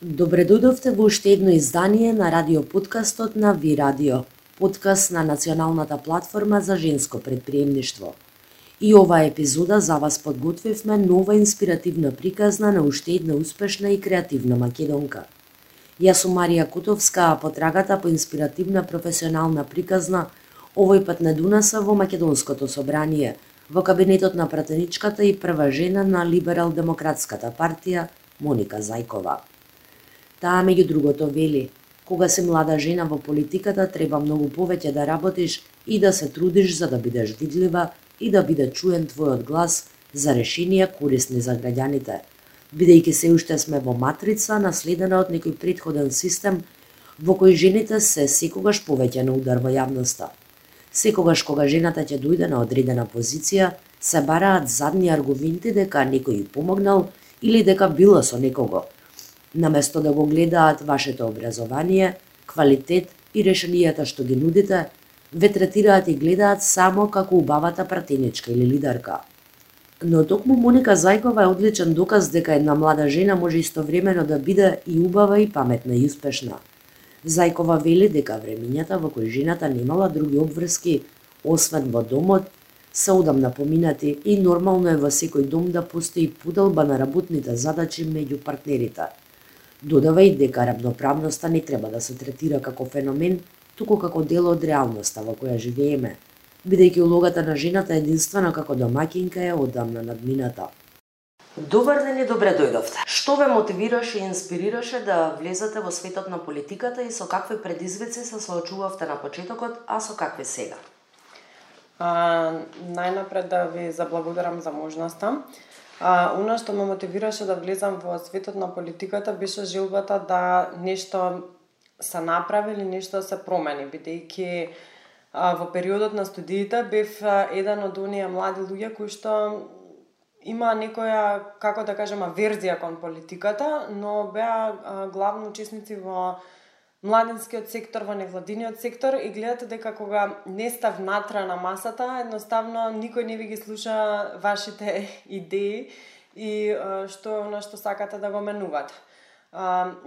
Добре дојдовте во уште едно издание на радиоподкастот на Ви Радио, подкаст на националната платформа за женско предприемништво. И оваа епизода за вас подготвивме нова инспиративна приказна на уште една успешна и креативна македонка. Јас сум Марија Котовска, а потрагата по инспиративна професионална приказна овој пат не донеса во Македонското собрание, во кабинетот на пратеничката и прва жена на Либерал-демократската партија Моника Зајкова. Таа меѓу другото вели: кога си млада жена во политиката треба многу повеќе да работиш и да се трудиш за да бидеш видлива и да биде чуен твојот глас за решенија корисни за граѓаните, бидејќи се уште сме во матрица наследена од некој претходен систем во кој жените се секогаш повеќе на удар во јавноста. Секогаш кога жената ќе дојде на одредена позиција, се бараат задни аргументи дека некој ја помогнал или дека била со некого, наместо да го гледаат вашето образование, квалитет и решенијата што ги нудите, ве третираат и гледаат само како убавата пратеничка или лидерка. Но токму Моника Зајкова е одличен доказ дека една млада жена може истовремено да биде и убава и паметна и успешна. Зајкова вели дека времињата во кои жената немала други обврски, освен во домот, се одамна поминати и нормално е во секој дом да постои поделба на работните задачи меѓу партнерите. Додава и дека равноправноста не треба да се третира како феномен, туку како дел од реалноста во која живееме, бидејќи улогата на жената единствено како домаќинка е одамна надмината. Добар ден и добре дојдовте. Што ве мотивираше и инспирираше да влезете во светот на политиката и со какви предизвици се соочувавте на почетокот, а со какви сега? Најнапред да ви заблагодарам за можноста. Она што ме мотивираше да влезам во светот на политиката беше желбата да нешто се направи или нешто се промени, бидејќи во периодот на студиите бев еден од оние млади луѓе кои што има некоја, како да кажем, верзија кон политиката, но беа главно учесници во младинскиот сектор, во невладиниот сектор и гледате дека кога не сте внатре на масата, едноставно никој не ви ги слуша вашите идеи и што е она што сакате да го менувате.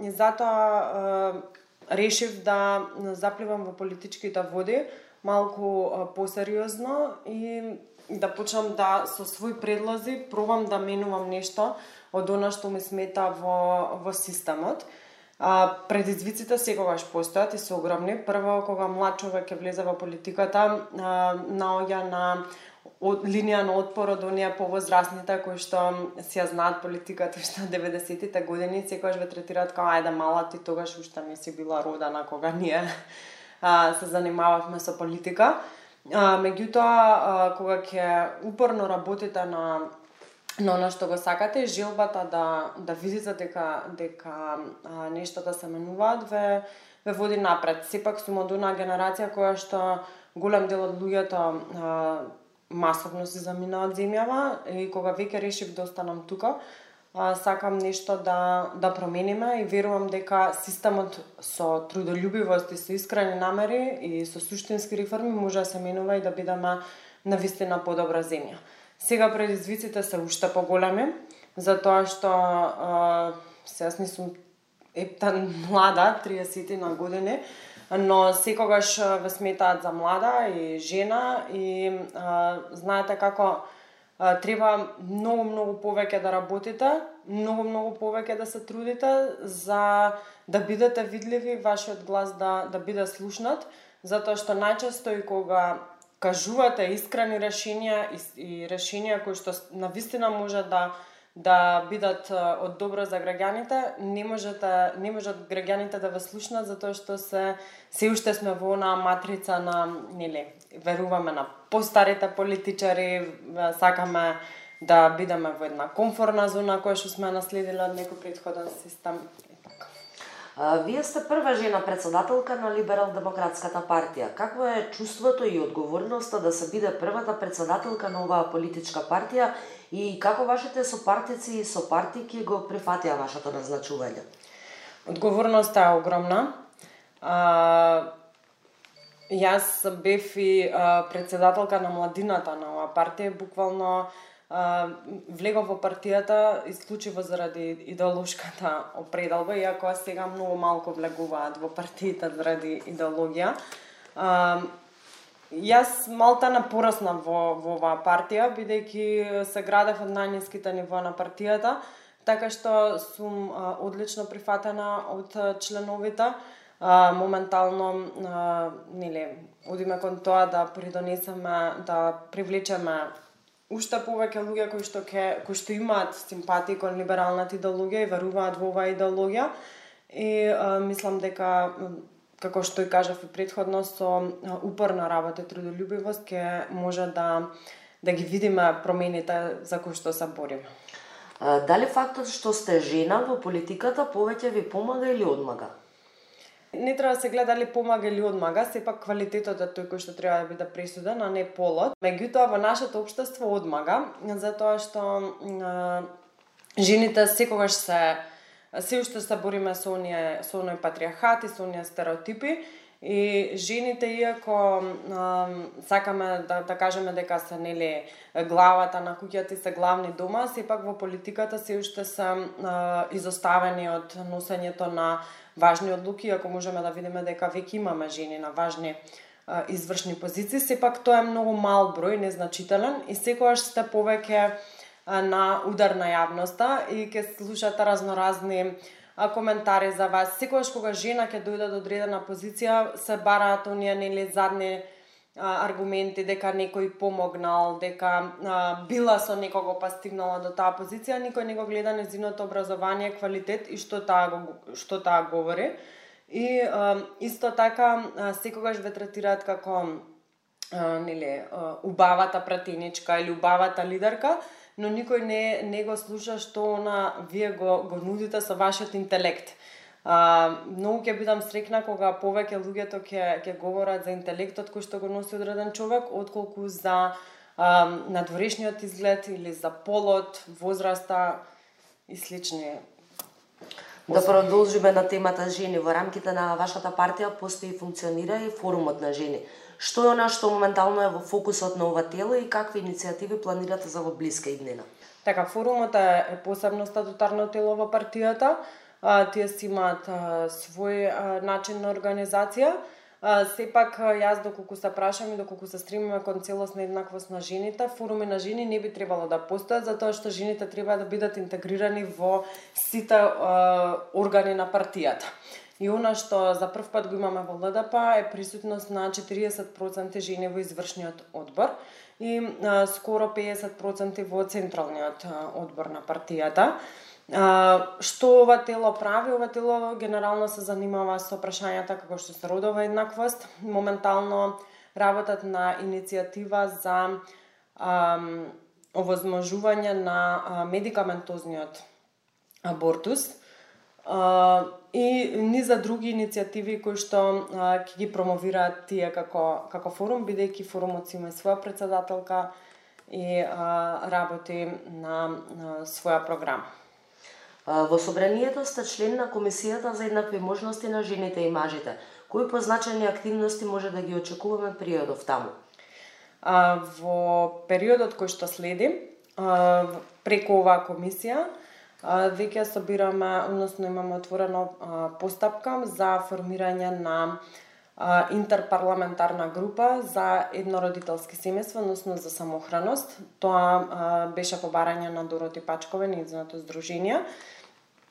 И затоа решив да запливам во политичките води малку посериозно и да почнам да со своји предлози пробам да менувам нешто од она што ми смета во системот. Предизвиците секогаш постојат и се огромни. Прво, кога млад човек ќе влезе во политиката, наоѓа на линија на отпор од оние повозрасните кои што си ја знаат политиката уште од 90-тите години, секогаш ве третираат како ајде мала, ти тогаш уште не си била родена кога ние се занимававме со политика. Меѓутоа, кога ќе упорно работите на она што го сакате, желбата да видите дека нештата се менуваат ве води напред. Сепак сум од онаа генерација која што голем дел од луѓето масовно се замина од земјава и кога веќе решив да останам тука, сакам нешто да промениме и верувам дека системот со трудолюбивост и со искрени намери и со суштински реформи може да се менува и да бидеме навистина подобра земја. Сега предизвиците се уште поголеми, затоа што јас не сум ептан млада, 30 на години, но секогаш ве сметаат за млада и жена и знаете како треба многу повеќе да работите, многу повеќе да се трудите за да бидете видливи, вашиот глас да биде слушнат, затоа што најчесто и кога кажувате искрени решенија и решенија кои што навистина може да бидат од добро за граѓаните, не можат граѓаните да ве слушнат затоа што се уште сме во онаа матрица на, веруваме на постарите политичари, сакаме да бидеме во една комфорна зона која што сме наследиле од некој претходен систем. Вие сте прва жена председателка на Либерал-демократската партија. Какво е чувството и одговорноста да се биде првата председателка на оваа политичка партија и како вашите сопартици и сопартики го прифатија вашето назначување? Одговорноста е огромна. Јас бев и председателка на младината на оваа партија, буквално влегов во партијата исклучиво заради идеолошката определба, иако сега многу малку влегуваат во партијата заради идеологија. Јас малтана пораснав во оваа партија, бидејќи се градев од најниските нивоа на партијата, така што сум одлично прифатена од членовите. Моментално одиме кон тоа да придонесеме, да привлечеме уште повеќе луѓе кои што имаат симпатии кон либералната идеологија и веруваат во оваа идеологија. И мислам дека, како што и кажав и претходно, со упорна работа и трудолюбивост ќе може да ги видиме промените за кои што се бориме. Дали фактот што сте жена во политиката повеќе ви помага или одмага? Не треба да се гледа дали помага или одмага, сепак квалитетот е тој кој што треба да биде пресуден, а не полот. Меѓутоа во нашето општество одмага, затоа што жените секогаш се уште се бориме со оној патриархат и со оние стереотипи, и жените, иако сакаме да кажеме дека се главата на куќата и се главни дома, сепак во политиката се уште се изоставени од носењето на важни одлуки, ако можеме да видиме дека веќе имаме жени на важни извршни позиции, сепак тоа е многу мал број, незначителен, и секогаш сте повеќе на удар на јавноста и ќе слушате разноразни коментари за вас. Секогаш кога жена ќе дојде до одредена позиција, се бараат оние задни аргументи дека некој помогнал, дека била со некого па стигнала до таа позиција, никој не го гледа нејзиното образование, квалитет и што таа говори. И исто така секогаш ве третираат како убавата пратеничка или убавата лидерка, но никој не го слуша што вие го нудите со вашиот интелект. Многу ќе бидам среќна кога повеќе луѓето ќе говорат за интелектот кој што го носи одреден човек, отколку за надворешниот изглед или за полот, возраста и слични. Да продолжиме на темата жени. Во рамките на вашата партија постои и функционира и форумот на жени. Што е она што моментално е во фокусот на ова тело и какви иницијативи планирате за во блиска иднина? Така, форумот е посебно статутарно тело во партијата. Тие си имаат свој начин на организација. Сепак, јас доколку се прашам и доколку се стремиме кон целосна еднаквост на жените, форуми на жени не би требало да постојат, затоа што жените треба да бидат интегрирани во сите органи на партијата. И она што за прв пат го имаме во ЛДП е присутност на 40% жени во извршниот одбор и скоро 50% во централниот одбор на партијата. Што ова тело прави? Ова тело генерално се занимава со прашањата како што се родова еднаквост. Моментално работат на иницијатива за овозможување на медикаментозниот абортус и низа други иницијативи кои што ќе ги промовираат тие како форум, бидејќи форумот си има своја претседателка и работи на своја програма. Во собранието сте член на Комисијата за еднакви можности на жените и мажите. Кои позначени активности може да ги очекуваме периодов таму? Во периодот кој што следи, преку оваа комисија, веќе собираме, односно имаме отворено постапка за формирање на интерпарламентарна група за еднородителски семејства, односно за самохраност. Тоа беше по барање на Дороти Пачкове, нејзиното здружение.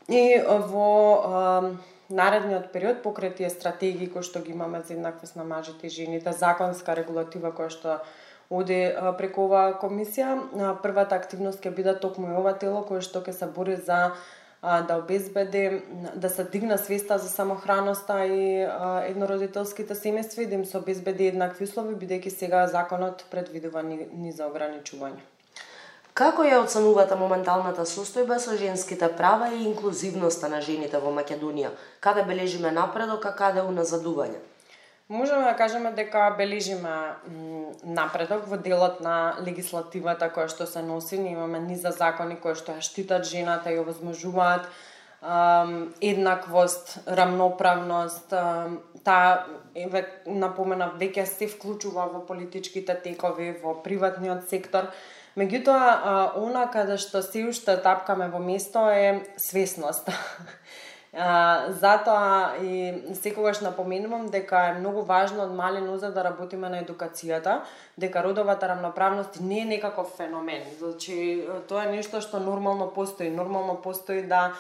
И во наредниот период, покрај тие стратегии кои што ги имаме за еднаквост на мажите и жените, законска регулатива која што оди преку оваа комисија, првата активност ќе биде токму и ова тело кое што ќе се бори за да обезбеди, да се дигне свеста за самохраноста и еднородителските семејства и да им се обезбеди еднакви услови, бидејќи сега законот предвидува низа ограничување. Како ја оценувате моменталната состојба со женските права и инклузивноста на жените во Македонија? Каде бележиме напредок, а каде уназадување? Можеме да кажеме дека бележиме напредок во делот на легислативата која што се носи. Ние имаме низа закони кои што ја штитат жената и овозможуваат еднаквост, рамноправност. Таа напоменав веќе се вклучува во политичките текови, во приватниот сектор. Меѓутоа, она каде што се уште тапкаме во место е свесност. Затоа и секогаш напоменувам дека е многу важно од мали нозе да работиме на едукацијата, дека родовата рамноправност не е некаков феномен. Значи, тоа е нешто што нормално постои. Нормално постои да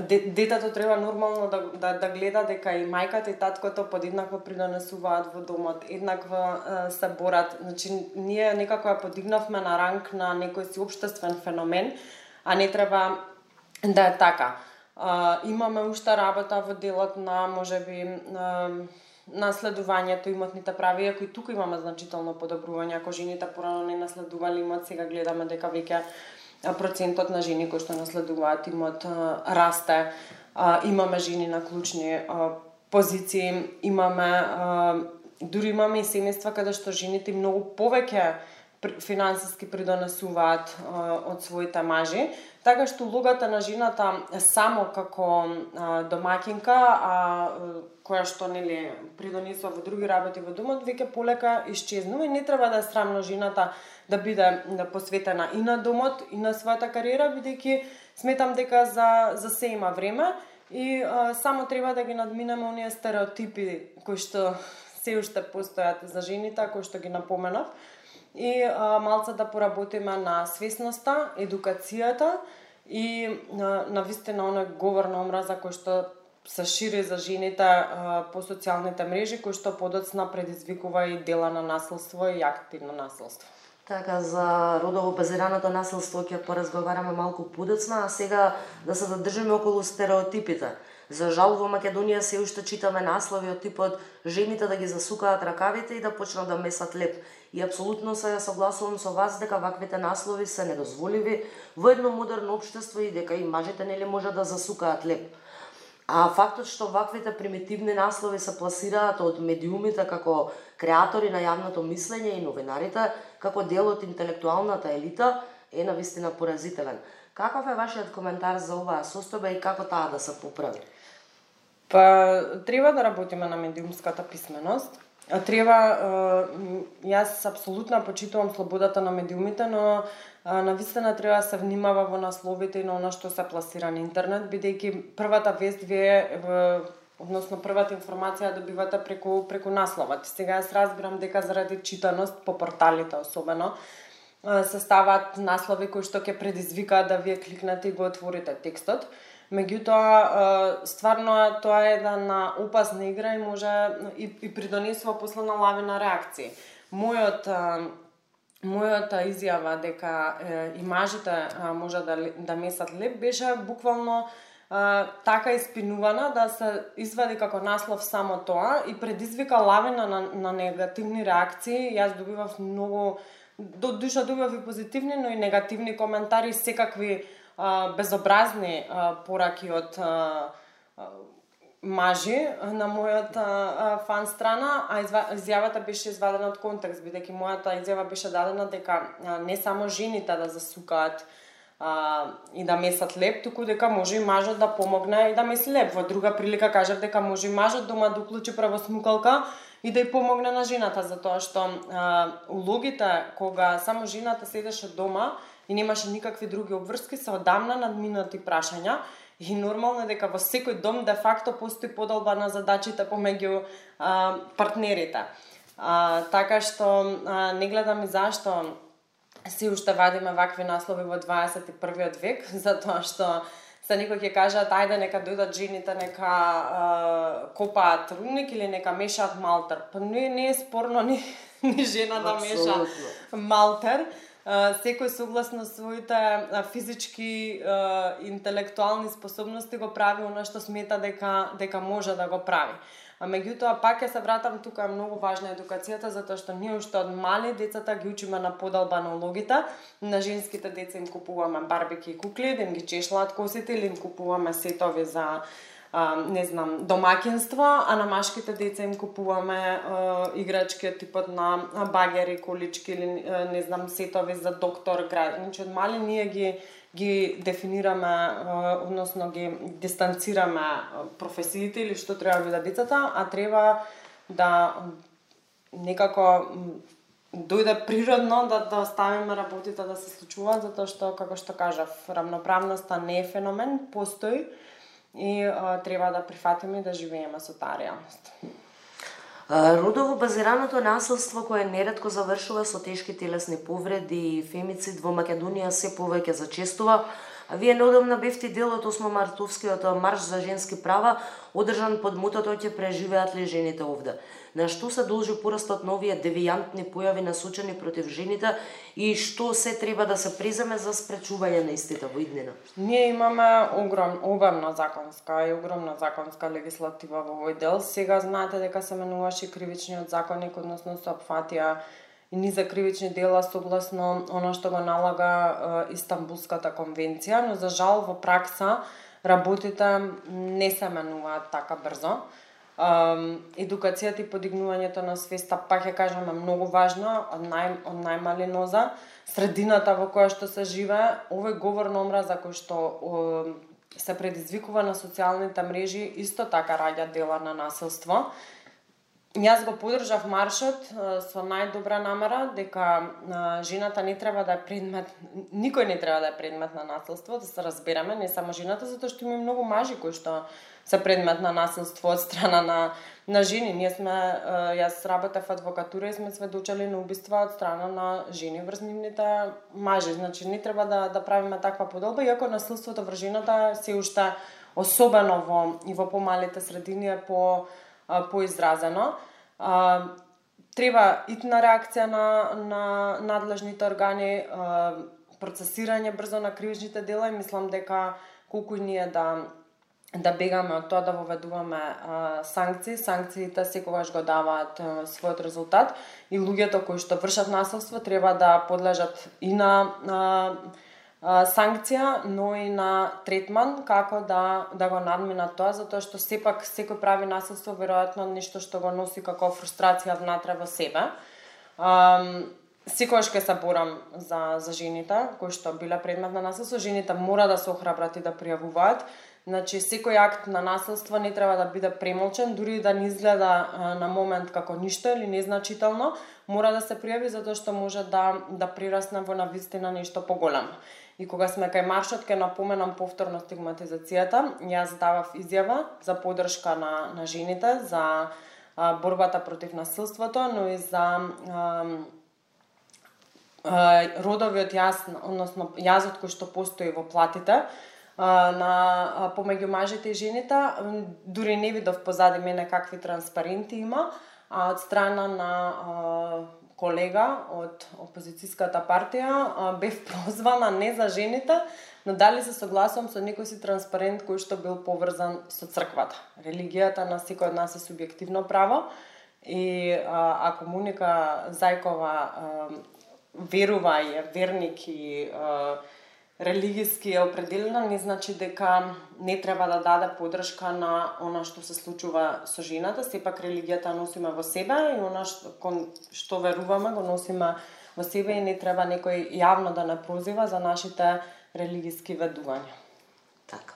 детето треба нормално да гледа дека и мајката и таткото подеднакво придонесуваат во домот, еднакво се борат. Значи, ние некако ја подигнавме на ранг на некој си општествен феномен, а не треба да е така. Имаме уште работа во делот на, можеби, наследувањето имотните прави, иако и тука имаме значително подобрување. Ако жените порано не наследували имот, сега гледаме дека веќе процентот на жени кои што наследуваат имот расте. Имаме жени на клучни позиции, дури имаме и семејства каде што жените многу повеќе финансиски придонесуваат од своите мажи, така што улогата на жената само како домаќинка, која што нели придонесува во други работи во домот, веќе полека исчезнува и не треба да е срамно жената да биде посветена и на домот и на својата кариера, бидејќи сметам дека за се има време и само треба да ги надминеме оние стереотипи кои што се уште постојат за жените, кои што ги напоменав, и малце да поработиме на свесноста, едукацијата и навистина оној говор на омраза кој што се шири за жените по социјалните мрежи, кој што подоцна предизвикува и дела на насилство и активно насилство. Така, за родово базираното насилство ќе поразговараме малку подоцна, а сега да се задржиме околу стереотипите. За жал во Македонија се уште читаме наслови од типот жените да ги засукаат ракавите и да почнат да месат леп. И апсолутно се согласувам со вас дека ваквите наслови се недозволиви во едно модерно општество и дека и мажите нели може да засукаат леп. А фактот што ваквите примитивни наслови се пласираат од медиумите како креатори на јавното мислење и новинарите како дел од интелектуалната елита е навистина поразителен. Каков е вашиот коментар за оваа состојба и како таа да се поправи? Па, треба да работиме на медиумската писменост. Јас апсолутно почитувам слободата на медиумите, но навистина треба да се внимава во насловите и на она што се пласира на интернет, бидејќи првата вест односно првата информација добивате преку насловот. Сега јас разбирам дека заради читаност по порталите особено се ставаат наслови кои што ќе предизвикаат да вие кликнете и го отворите текстот. Меѓутоа, стварно тоа е една опасна игра и може и придонесува после на лавина реакции. Мојата изјава дека и мажите може да месат леп беше буквално така испинувана да се извади како наслов само тоа и предизвика лавина на негативни реакции. Јас добивав многу, до душа добивав и позитивни, но и негативни коментари, секакви безобразни пораки од мажи на мојата фан страна, а изјавата беше извадена од контекст, бидејќи мојата изјава беше дадена дека не само жените да засукаат и да месат леп, туку дека може и мажот да помогне и да меси леп. Во друга прилика кажав дека може и мажот дома да уклучи правосмукалка и да ја помогне на жената, затоа што улогите кога само жената седеше дома и немаше никакви други обврски, се одамна надминати прашања и нормално е дека во секој дом де факто постои поделба на задачите помеѓу партнерите. Така што не гледам и зашто се уште вадиме вакви наслови во 21. век, затоа што се некои ќе кажат ајде нека дојдат жените, нека копаат рудник или нека мешаат малтер. Па не е спорно ни жена да меша малтер. Секој согласно своите физички интелектуални способности го прави она што смета дека може да го прави. А меѓутоа пак ќе се вратам, тука е многу важна едукацијата, затоа што ние уште од мали децата ги учиме на поделба на улогите. На женските деца им купуваме барбики и кукли, да им ги чешлаат косите или им купуваме сетови за домаќинство, а на машките деца им купуваме играчки од типот на багери, колички или сетови за доктор, значи од мали ние ги дефинираме, односно ги дистанцираме професиите или што треба да биде децата, а треба да некако дојде природно да оставиме работите да се случуваат, затоа што, како што кажав, рамноправноста не е феномен, постои и треба да прифатиме и да живееме со таа реалност. Родово базираното насилство кое неретко завршува со тешки телесни повреди и фемицид во Македонија се повеќе зачестува. А вие неодамна бевте дел од 8 мартовскиот марш за женски права, одржан под мотото ќе преживеат ли жените овде. На што се должи порастот на овие девијантни појави насочени против жените и што се треба да се преземе за спречување на истите во иднина? Ние имаме обемна законска и огромна законска легислатива во овој дел. Сега знаете дека се менуваше кривичниот законник, односно се опфатија и низа кривични дела согласно она што го налага Истанбулската конвенција, но за жал во пракса работите не се менуваат така брзо. Едукацијата и подигнувањето на свеста, пак ја кажам, е многу важно, од најмали ноза. Средината во која што се живее, овој говор на омраза кој што се предизвикува на социјалните мрежи, исто така раѓа дела на насилство. Јас го поддржав маршот со најдобра намера дека жената не треба да е предмет, никој не треба да е предмет на насилство, да се разбереме, не само жената, затоа што има многу мажи кои што се предмет на насилство од страна на жени. Јас работев адвокатура и сме сведочели на убиства од страна на жени врз нивните мажи. Значи не треба да правиме таква поделба, иако насилството врз жената се уште особено во помалите средини е поизразено. Треба итна реакција на надлежните органи, процесирање брзо на кривичните дела и мислам дека колку и ние да бегаме од тоа да воведуваме санкции, санкциите секогаш го даваат својот резултат и луѓето кои што вршат насилство треба да подлежат и на санкција, но и на третман, како да го надминат тоа, затоа што сепак секој прави насилство веројатно нешто што го носи како фрустрација внатре во себе. Секогаш ќе се борам за жените кои што биле предмет на насилство. Жените мора да се охрабрат и да пријавуваат. Значи, секој акт на насилство не треба да биде премолчен, дури да не изгледа на момент како ништо или незначително, мора да се пријави затоа што може да прирасне во навистина нешто поголемо. И кога сме кај маршот, ќе напоменам повторно стигматизацијата. Јас давав изјава за поддршка на жените, за борбата против насилството, но и за родовиот јаз, односно јазот кој што постои во платите помеѓу мажите и жените. Дури не видов позади мене какви транспаренти има, од страна на колега од опозицијската партија бев прозвана не за жените, но дали се согласувам со некој си транспарент кој што бил поврзан со црквата. Религијата на секој од нас е субјективно право и ако Моника Зајкова верува и е верник и религиски е определена, не значи дека не треба да даде поддршка на она што се случува со жената. Сепак религијата носиме во себе и она што веруваме го носиме во себе и не треба некој јавно да не прозива за нашите религиски ведувања. Така.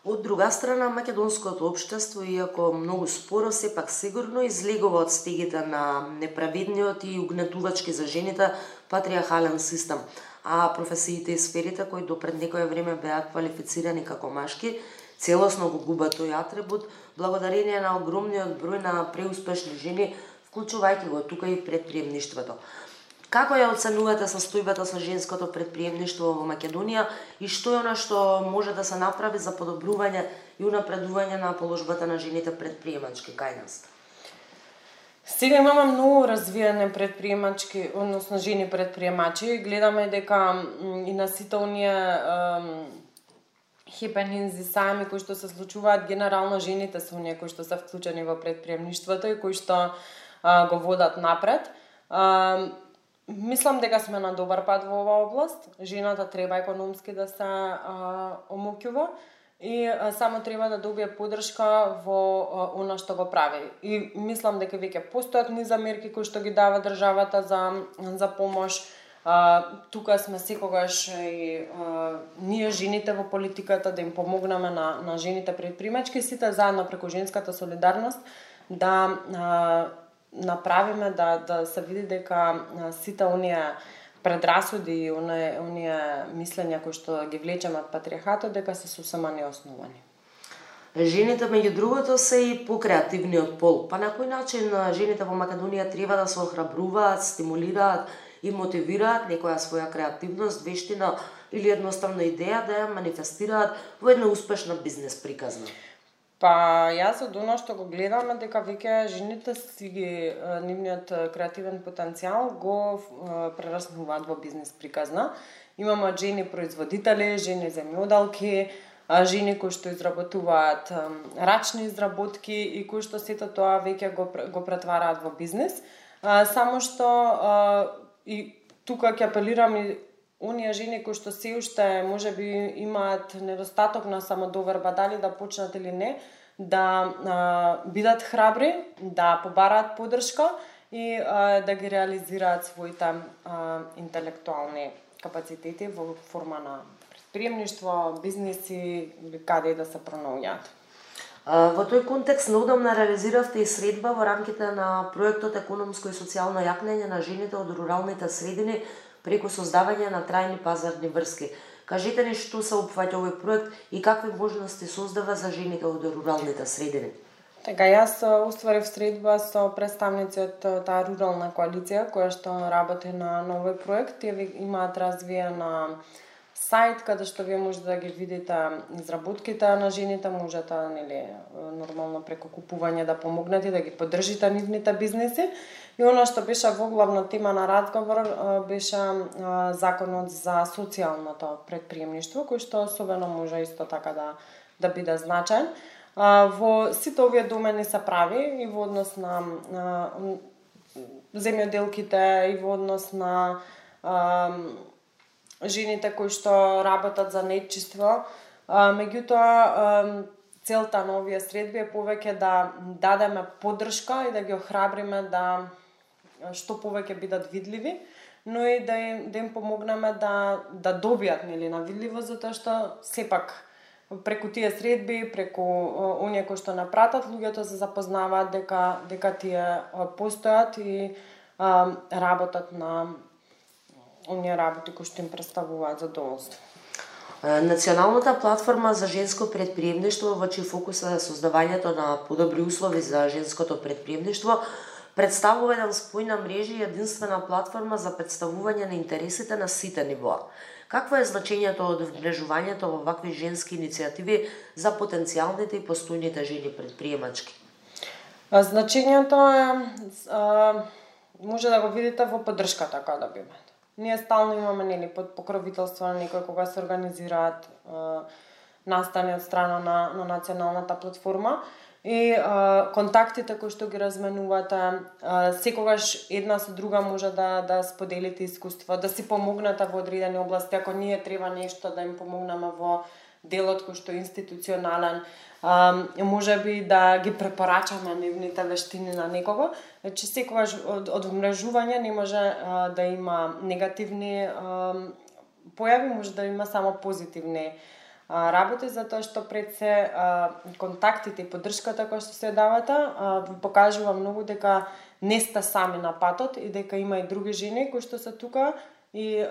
Од друга страна, македонското општество, иако многу споро, сепак сигурно излегува од стегите на неправедниот и угнетувачки за жените патриархален систем, а професиите и сферите кои до пред некое време беа квалифицирани како машки, целосно го губат тој атрибут благодарение на огромниот број на преуспешни жени, вклучувајќи го тука и предприемништвото. Како ја оценувате состојбата со женското предприемништво во Македонија и што е она што може да се направи за подобрување и унапредување на положбата на жените предприемачки кај нас? Сега имаме многу развиени предприемачки, односно жени предприемачи. Гледаме дека и на сите оние хепенинзи сами кои што се случуваат, генерално жените се оние кои што се вклучени во предприемништвото и кои што го водат напред. Мислам дека сме на добар пат во оваа област. Жената треба економски да се омоќува и само треба да добие поддршка во она што го прави. И мислам дека веќе постојат низа мерки кои што ги дава државата за помош. Тука сме секогаш и ние жените во политиката да им помогнеме на жените предприемачки, сите заедно преку женската солидарност да направиме да се види дека сите оние предрасуди и оние мислења кои што ги влечеме од патриархатот дека се сосема неосновани. Жените, меѓу другото, се и покреативниот пол. Па на кој начин жените во Македонија треба да се охрабруваат, стимулираат и мотивираат некоја своја креативност, вештина или едноставна идеја да ја манифестираат во една успешна бизнес приказна? Па јас од оно што го гледаме дека веќе жените си ги нивниот креативен потенцијал го прераснуваат во бизнес приказна. Имаме жени производители, жени земјоделки, жени кои што изработуваат рачни изработки и кои што сето тоа веќе го претвараат во бизнес. Само што и тука ќе апелирам и оние жени кои што се уште можеби имаат недостаток на самодоверба, дали да почнат или не, да бидат храбри, да побараат поддршка и да ги реализираат своите интелектуални капацитети во форма на предприемништво, бизнеси или каде и да се пронаоѓаат. Во тој контекст неодамна реализиравте и средба во рамките на проектот Економско и социјално јакнење на жените од руралните средини преку создавање на трајни пазарни врски. Кажете ни што се опфаќа овој проект и какви можности создава за жените од руралните средини? Така, јас устварив средба со представници од таа рурална коалиција која што работи на овој проект. Тие имаат развиена сајт каде што вие можете да ги видите изработките на жените, можете нормално преку купување да помогнете да ги поддржите нивните бизнеси. И она што беше во главна тема на разговор беше законот за социјалното предприемништво, кој што особено може исто така да биде значаен. Во сите овие домени се прави и во однос на земјоделките, и во однос на жените кои што работат за нетчиство. Меѓутоа, целта на овие средби е повеќе да дадеме поддршка и да ги охрабриме да што повеќе бидат видливи, но и да им помогнеме да добијат на видливост, затоа што сепак преку тие средби, преку оние кои што напратат, луѓето се запознаваат дека тие постојат и работат на оние работи кои што им представуваат задоволство. Националната платформа за женско предприемништво, во чиј фокус е создавањето на подобри услови за женското предприемништво, представува еден спој на мрежи и единствена платформа за представување на интересите на сите нивоа. Какво е значењето од вмрежувањето во вакви женски иницијативи за потенцијалните и постојните жени предприемачки? Значењето е може да го видите во поддршката која добиваме. Ние стално имаме под покровителство на некој кога се организираат настани од страна на националната платформа и контактите кои што ги разменувате, секогаш една со друга може да споделите искуство, да си помогнете во одредени области, ако ние треба нешто да им помогнеме во делот кој што е институционален, можеби да ги препорачаме нивните вештини на некого. Значи секогаш од умрежување не може да има негативни појави, може да има само позитивни работи, затоа што пред се контактите и поддршката која што се давате ви покажува многу дека не сте сами на патот и дека има и други жени кои што се тука и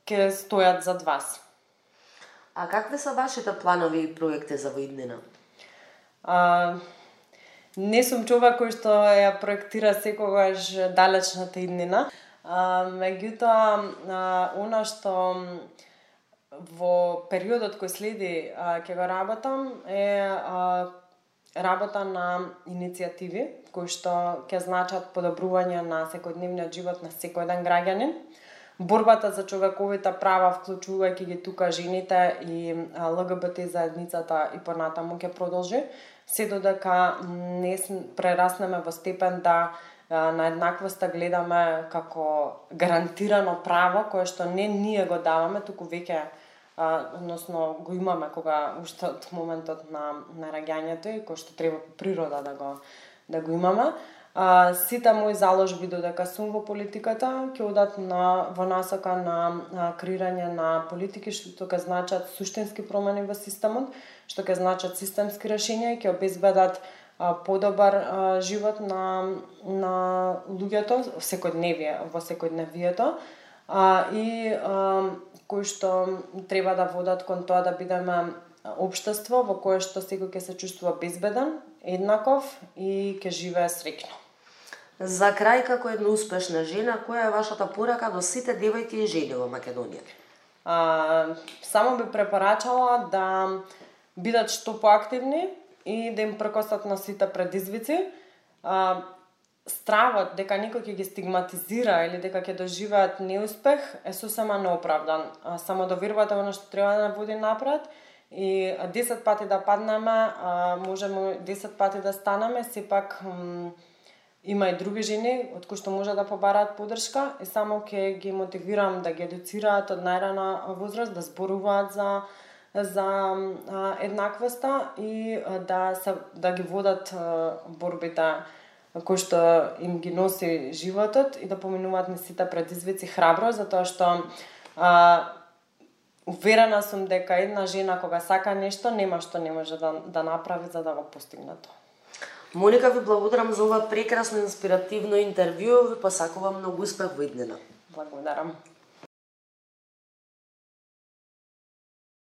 ќе стојат зад вас. А какви се вашите планови и проекти за воиднина? Не сум човек кој што ја проектира секогаш далечната иднина. Меѓутоа, она што во периодот кој следи ќе го работам е работа на иницијативи кои што ќе значат подобрување на секојдневниот живот на секој еден граѓанин. Борбата за човековите права, вклучувајќи ги тука жените и ЛГБТ заедницата и понатаму ќе продолжи, се додека не прераснеме во степен да на еднаквоста гледаме како гарантирано право кое што не ние го даваме, туку веќе односно го имаме кога уште од моментот на раѓањето и кој што треба по природа да го имаме. Сите мои заложби додека сум во политиката ќе одат во насока на креирање на политики што ќе значат суштински промени во системот, што ќе значат системски решенја и ќе обезбедат подобар живот на луѓето во секојдневието и кои што треба да водат кон тоа да бидеме општество во кое што секој ќе се чувствува безбеден, еднаков и ќе живее среќно. За крај, како една успешна жена, која е вашата порака до сите девојки и жени во Македонија? Само би препорачала да бидат што поактивни и да им прекосат на сите предизвици. Стравот дека некој ќе ги стигматизира или дека ќе доживеат неуспех е сосема неоправдан. Само да верувате во што треба да води напред и 10 пати да паднеме, можеме 10 пати да станеме, сепак има и други жени од кои што може да побараат поддршка и само ќе ги мотивирам да ги едуцираат од најрана возраст, да зборуваат за еднаквоста и да ги водат борбите кој што им ги носи животот и да поминуваат низ сите предизвици храбро, затоа што уверена сум дека една жена кога сака нешто, нема што не може да направи за да го постигне тоа. Моника, ви благодарам за ова прекрасно инспиративно интервју, ви посакувам многу успех во иднина. Благодарам.